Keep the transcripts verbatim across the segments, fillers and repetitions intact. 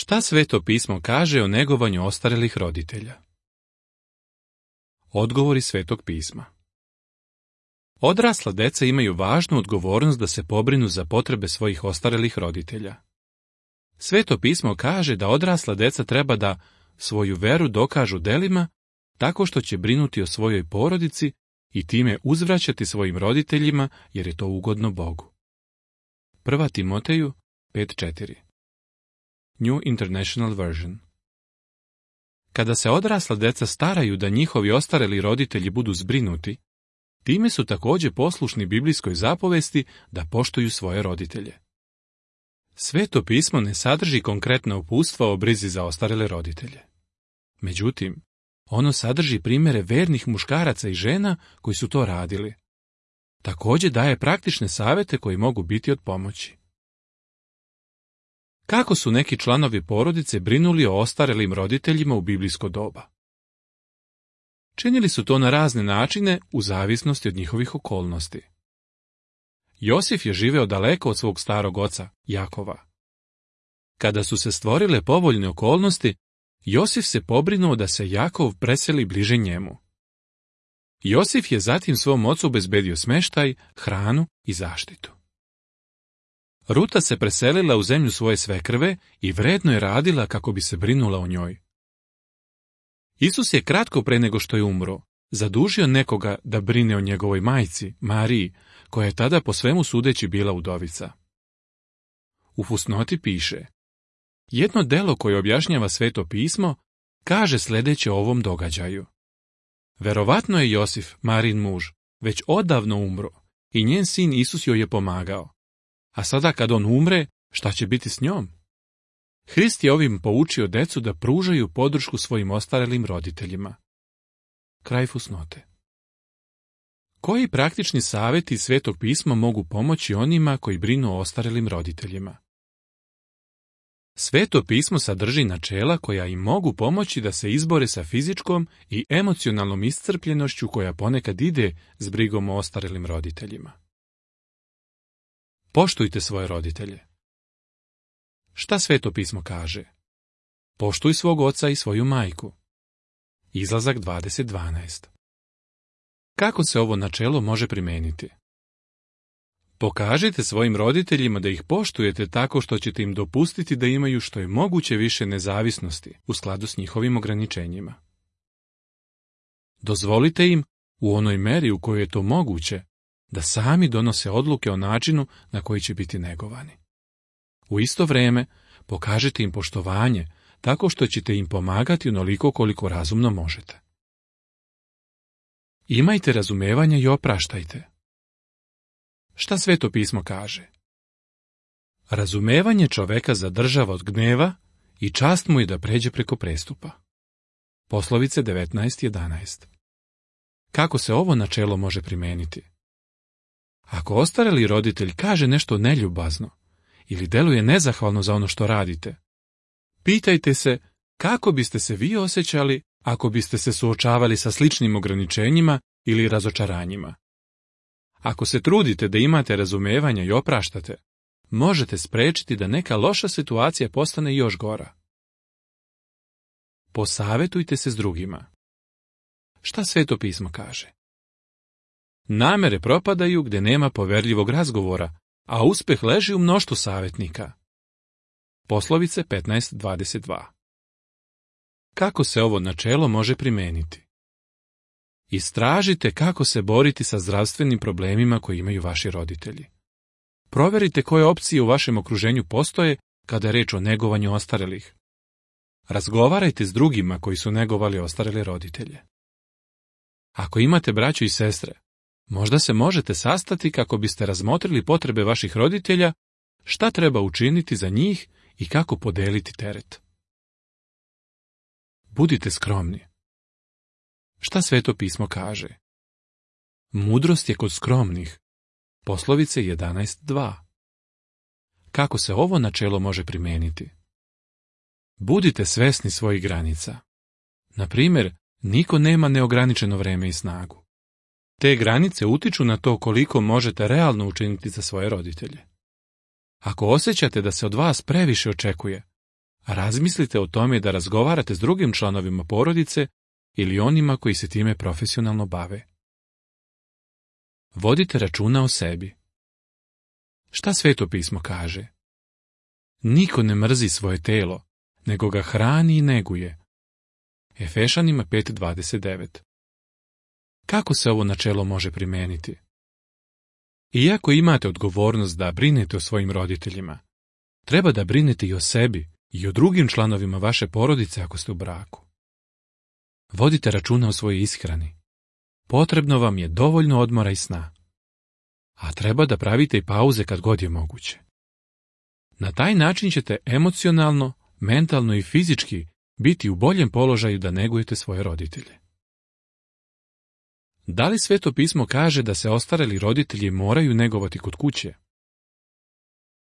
Šta Sveto pismo kaže o negovanju ostarelih roditelja? Odgovori Svetog pisma. Odrasla deca imaju važnu odgovornost da se pobrinu za potrebe svojih ostarelih roditelja. Sveto pismo kaže da odrasla deca treba da svoju veru dokažu delima tako što će brinuti o svojoj porodici i time uzvraćati svojim roditeljima jer je to ugodno Bogu. Prva Timoteju pet četiri. New International Version. Kada se odrasla deca staraju da njihovi ostareli roditelji budu zbrinuti, time su također poslušni biblijskoj zapovesti da poštuju svoje roditelje. Sveto pismo ne sadrži konkretna uputstva o brizi za ostarele roditelje. Međutim, ono sadrži primjere vernih muškaraca i žena koji su to radili. Također daje praktične savjete koji mogu biti od pomoći. Kako su neki članovi porodice brinuli o ostarelim roditeljima u biblijsko doba? Činili su to na razne načine u zavisnosti od njihovih okolnosti. Josif je živeo daleko od svog starog oca, Jakova. Kada su se stvorile povoljne okolnosti, Josif se pobrinuo da se Jakov preseli bliže njemu. Josif je zatim svom ocu obezbedio smeštaj, hranu i zaštitu. Ruta se preselila u zemlju svoje svekrve i vredno je radila kako bi se brinula o njoj. Isus je kratko pre nego što je umro zadužio nekoga da brine o njegovoj majci, Mariji, koja je tada po svemu sudeći bila udovica. U fusnoti piše: jedno delo koje objašnjava Sveto pismo kaže sljedeće o ovom događaju. Verovatno je Josif, Marin muž, već odavno umro i njen sin Isus joj je pomagao. A sada kad on umre, šta će biti s njom? Hrist je ovim poučio decu da pružaju podršku svojim ostarelim roditeljima. Kraj fusnote. Koji praktični savjeti iz Svetog pisma mogu pomoći onima koji brinu o ostarelim roditeljima? Sveto pismo sadrži načela koja im mogu pomoći da se izbore sa fizičkom i emocionalnom iscrpljenošću koja ponekad ide s brigom o ostarelim roditeljima. Poštujte svoje roditelje. Šta Sveto pismo kaže? Poštuj svog oca i svoju majku. Izlazak dvadeset dvanaest. Kako se ovo načelo može primijeniti? Pokažite svojim roditeljima da ih poštujete tako što ćete im dopustiti da imaju što je moguće više nezavisnosti u skladu s njihovim ograničenjima. Dozvolite im, u onoj meri u kojoj je to moguće, da sami donose odluke o načinu na koji će biti negovani. U isto vrijeme pokažite im poštovanje tako što ćete im pomagati onoliko koliko razumno možete. Imajte razumevanja i opraštajte. Šta Sveto pismo kaže? Razumevanje čoveka zadržava od gneva i čast mu je da pređe preko prestupa. Poslovice devetnaest jedanaest. Kako se ovo načelo može primijeniti? Ako ostareli roditelj kaže nešto neljubazno ili deluje nezahvalno za ono što radite, pitajte se kako biste se vi osjećali ako biste se suočavali sa sličnim ograničenjima ili razočaranjima. Ako se trudite da imate razumevanja i opraštate, možete spriječiti da neka loša situacija postane još gora. Posavetujte se s drugima. Šta Sveto pismo kaže? Namere propadaju gdje nema poverljivog razgovora, a uspjeh leži u mnoštvu savjetnika. Poslovice petnaest dvadeset dva. Kako se ovo načelo može primijeniti? Istražite kako se boriti sa zdravstvenim problemima koje imaju vaši roditelji. Proverite koje opcije u vašem okruženju postoje kada je reč o negovanju ostarelih. Razgovarajte s drugima koji su negovali ostarele roditelje. Ako imate braću i sestre, možda se možete sastati kako biste razmotrili potrebe vaših roditelja, šta treba učiniti za njih i kako podeliti teret. Budite skromni. Šta Sveto pismo kaže? Mudrost je kod skromnih. Poslovice jedanaest dva. Kako se ovo načelo može primijeniti? Budite svesni svojih granica. Na primjer, niko nema neograničeno vreme i snagu. Te granice utiču na to koliko možete realno učiniti za svoje roditelje. Ako osjećate da se od vas previše očekuje, razmislite o tome da razgovarate s drugim članovima porodice ili onima koji se time profesionalno bave. Vodite računa o sebi. Šta Sveto pismo kaže? Niko ne mrzi svoje telo, nego ga hrani i neguje. Efešanima pet dvadeset devet. Kako se ovo načelo može primeniti? Iako imate odgovornost da brinete o svojim roditeljima, treba da brinete i o sebi i o drugim članovima vaše porodice ako ste u braku. Vodite računa o svojoj ishrani. Potrebno vam je dovoljno odmora i sna. A treba da pravite i pauze kad god je moguće. Na taj način ćete emocionalno, mentalno i fizički biti u boljem položaju da negujete svoje roditelje. Da li Sveto pismo kaže da se ostareli roditelji moraju negovati kod kuće?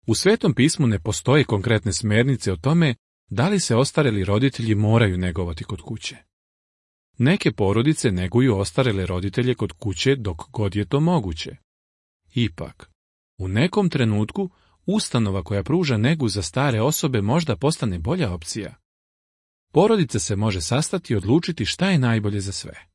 U Svetom pismu ne postoje konkretne smernice o tome da li se ostareli roditelji moraju negovati kod kuće. Neke porodice neguju ostarele roditelje kod kuće dok god je to moguće. Ipak, u nekom trenutku ustanova koja pruža negu za stare osobe možda postane bolja opcija. Porodica se može sastati i odlučiti šta je najbolje za sve.